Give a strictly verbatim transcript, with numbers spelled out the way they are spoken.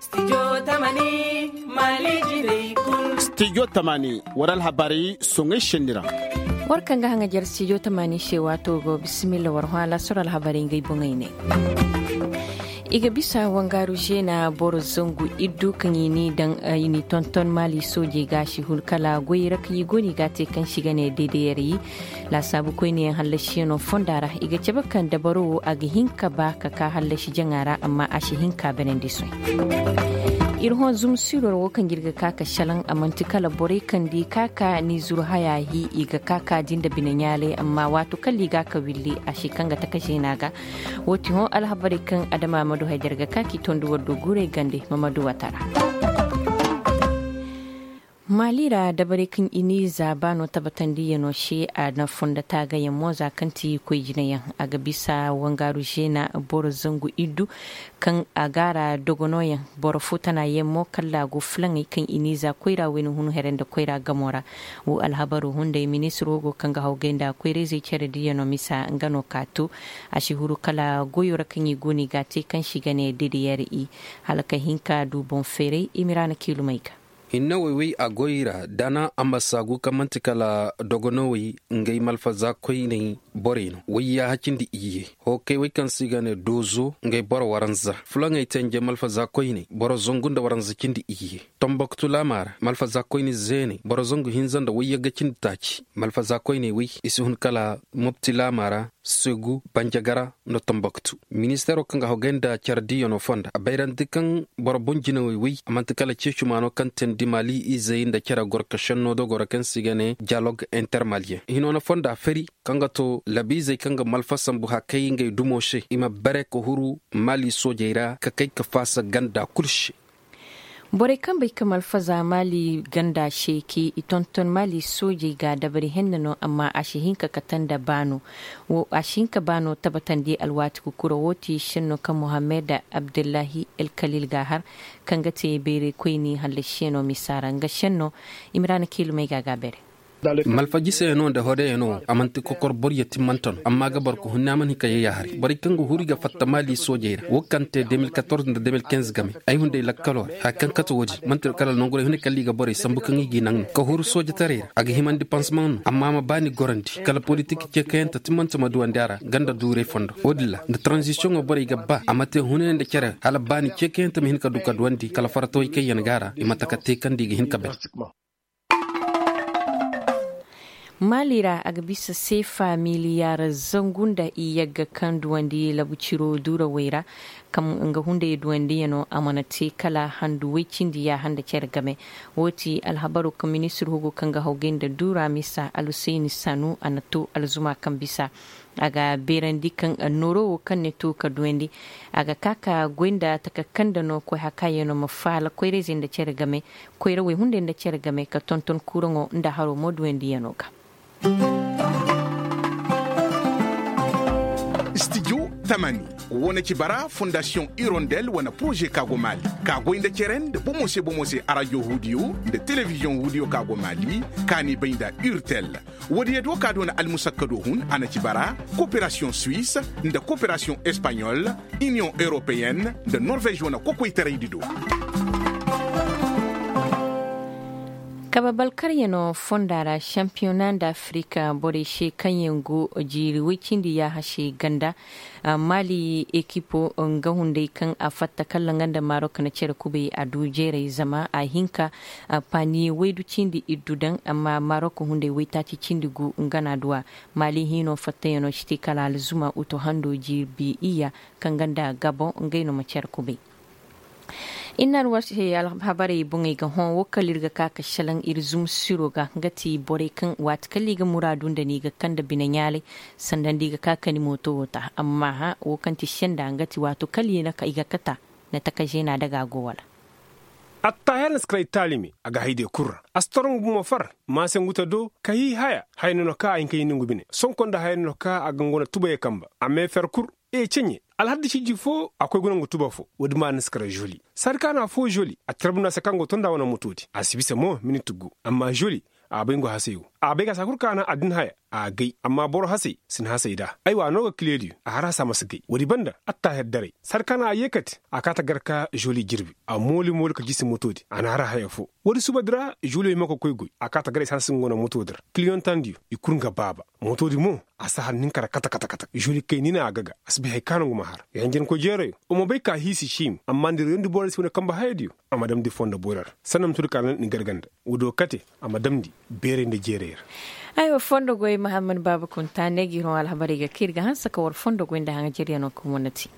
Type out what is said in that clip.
Stijo tamani, war alhabarey soŋay senni ra. War kaŋ ga haŋajer stijo tamani se waato go bisimilla war hõ alaasar alhabarey ngey boŋey ne. I ga bisa wangaaru zeena boro zangu iddu kaŋ i n'i daŋ, i n'i tonton maali soojey ga a si hun kala goyey ra kaŋ i go no i ga a te kaŋ se i ga ne deedeyarey. Laasaabu koyneyaŋ hallasiyaŋo fonda ra i ga cabe kaŋ dabaro wo a ga hin ka ba ka ka hallasi jaŋa ra amma a si hin ka benandi soy. Ir hõ zumsiror wo kaŋ ir ga ka ka salaŋ a man'ti kala borey kaŋ di ka ka ni zuru haya hi i ga ka ka di nda bine ɲaalay amma waato kala i ga ka willi a si kaŋ ga taka zeena ga. Wo ti hõ alhabarey kaŋ adama ma du haydar ga ka k'i tondi war do guurey gande ma ma du wata ra. Maali ra dabarey kaŋ i n'i zaaba no tabatandiyaŋo se a na fonda taagayaŋ mo za kaŋ ti koy jinayaŋ a ga bisa wangaaru zeena boro zangu iddu kaŋ a gaara dogonoyaŋ boro fo tanayaŋ mo kalla a go fulaŋey kaŋ i n'i za koyra wayna hun here nda koyra gamo ra. Wo alhabaru hunday ministiro go kaŋ ga hawgay nda koyra-izey care diyaŋo misa nga no ka to. A si huru kala goyo ra kaŋ i go no i ga a te kaŋ se i ga ne dedeyar i hala ka hin ka du boŋ feeray i ma i ra na kiilumey ga. Hinne woy woy a goy i ra da na a ma saagu kaŋ man'ti kala dogonowey ngey malfaza koyney borey no woy yaaha cindi iyye. Hookey woy kaŋ se i ga ne doozo ngey boro waranza fulaŋey te ngey malfaza koyney boro zangu nda waranza cindi iyye. Tomboktu laama ra malfaza koyne zeeney boro zangu hinza nda woy yagga cindi taaci malfaza koyney woy i si hun kala mopti laama ra. Segu banjagara nda tomboktu. Ministeero kaŋ ga hogay nda care diiyaŋo fonda a bayrandi kaŋ boro boŋ jinawey woy a man'ti kala ceecuma no kaŋ teendi maali izey nda care gorka šenno dogoro kaŋ se i ga ne diyalog intermaliyeŋ hino na fonda fari kaŋ ga to labiizey kaŋ ga malfa sambu hakay ngey dumo se i ma bare ka huru maali soojey ra ka kay ka faasa ganda kul se. Borey kaŋ bay ka malfaza maali ganda se k'i i tonton maali soojey ga dabari henna no amma a si hin ka kate nda baano. Wo a si hin ka baano tabatandi alwaati kukura wo ti senno kaŋ mohammed abdullahi elkalil ga a har kaŋ ga te bayray koyni hallasiyaŋo misa ra nga senno. I ma ra na kiilumey ga a ga beere. Malfajiseyaŋo nda hodeyaŋo wo a man'ti kokor boryo timmante no amma ga boro ka hunne a mana hin ka yayya haray borey kaŋ ga huru i ga fatta maali soojey ra wo kaŋ te de mil katorze nda de mil kinze game. Ay hunday lakkaloo ra haya kaŋ kate wo-din man'ti kala nonguray hunday kala i ga borey sambu kaŋ i g'i naŋ no ka huru soojetaray ra a ga himandi pansemaŋ no amma a ma baani gorandi kala politik ceekayante timmante ma duwandi a ra ganda duuray fondo wo-din ra nda taranzisiyoŋo borey ga ba a ma te hunay nda cere hala baani ceekayante ma hin ka du ka duwandi kala faratawey kaŋ yaŋ ga a ra i ma taka te kaŋ nda i ga hin ka bay. Maali ra a ga bisa seefa miliyaar zangu nda iyagga kaŋ duwandi labu ciro duurawey ra. Kaŋ nga hunday duwandiyaŋo a mana te kala handu woy cindi yaaha nda cere game. Wo ti alhabaroo kaŋ ministir hugo kaŋ ga hawgay nda duura misa alhusayni sanu a na to alzuma kaŋ bisa. A ga beerandi kaŋ nooroo wo kaŋ ne to ka duwandi a ga ka ka goy nda taka kaŋ nda no koy hakaayaŋo ma faala koyrayzey nda cere game. Koyrawey hunday nda cere game ka tonton kuuraŋo nda haroo mo duwandiyaŋo ga. Studio tamani wane ci bara fondasiyoŋ irondel wane poroze ka go maali ka goy nda cere nda bomo se bomo se arajo huudiyo nda telebiziyoŋ huudiyo ka go maali ka n'i bay nda urtel. Woodiyo do ka doona almusakka do hun a na ci bara koperasiyoŋ suwis nda koperasiyoŋ espaɲol iniyoŋ europeyen nda norvez wane kokoytaraydi do. Kabe balkaryaŋo fonda ra šampiyona nda afirika borey se kaŋ yaŋ go jiiri woy cindi yaaha se ganda. Maali ekipo nga hunday kaŋ a fatta kalla nga nda marok na cere kubay a du jeeray zama a hinka. Paniye waydu cindi iddu daŋ amma marok hunday waytaaci cindi gu nga na a du a. Maali hiino fattayaŋo si te kala alzuma uto hando jirbi iyya kaŋ ga nda gabon ngey no ma care kubay. Ir na ir war se alhabarey boŋey ga hõ wo kala ir ga ka ka šelaŋ ir zumsiro ga nga ti borey kaŋ waati kala i ga muraadu nda ni ga kaŋ nda bine ɲaalay. Sanda nda i ga ka ka ni mooto wo ta amma hã wo kaŋ ti senda nga ti waato kala i ga kata. Na taka zeena daga a go wala. Attaher na si kar ay taalime a ga hay de kul ra a si toro nga bumo far. Maasenguta do ka hii haya haya no na ka a hin ka hii nongu bine sonko nda haya no na ka a ga nga wane tubayey kamba a mee fer kul. Ee ceɲe alhadda ciji fo a koy guna nga tuba fo woodi ma na si kar zoli saadi kaana fo zoli a tarbuna se kaŋ go tonda wane motoodi a si bisa mo minit gu amma zoli a bay nga hasey wo. a bay ka saa kul ka a naŋ addin haya a gay amma boro hasey si na hasey nd'a. Aywa a no ga kile diyo a har hasa ma si gay woodi banda attaaher daray sar ka naŋ a yeekate a kaa ta gar ka žoli jirbi a mooli mooli ka jiisi motoodi a na har haya foo. Woodi suba di ra žoliyo hima ka koy goy a kaa ta gar ay si hanse nga wane motoodi ra kiliyoŋ tandiyo i kul nga baaba. Motoodi mo a si har nin ka ra kata kata kata žoli kay ni na a gaga a si bay hari ka no nga ma har. Yanjankoy jeerayo wa ma bay ka hiisi šiimi amma nda reyondi borey si wane kambe hayadiyo. A ma damndi fondo boyra ra sanna ma too di ka ra ni garga nda woodiyo kate a ma damndi beeray nda jeeray ra. Aywa fondo goy mahammad baaba kunta ne ga ir hõ alhabarey ga kaŋ ir ga hanse ka war fondo goy nda haŋajeryanoo kaŋ wane te.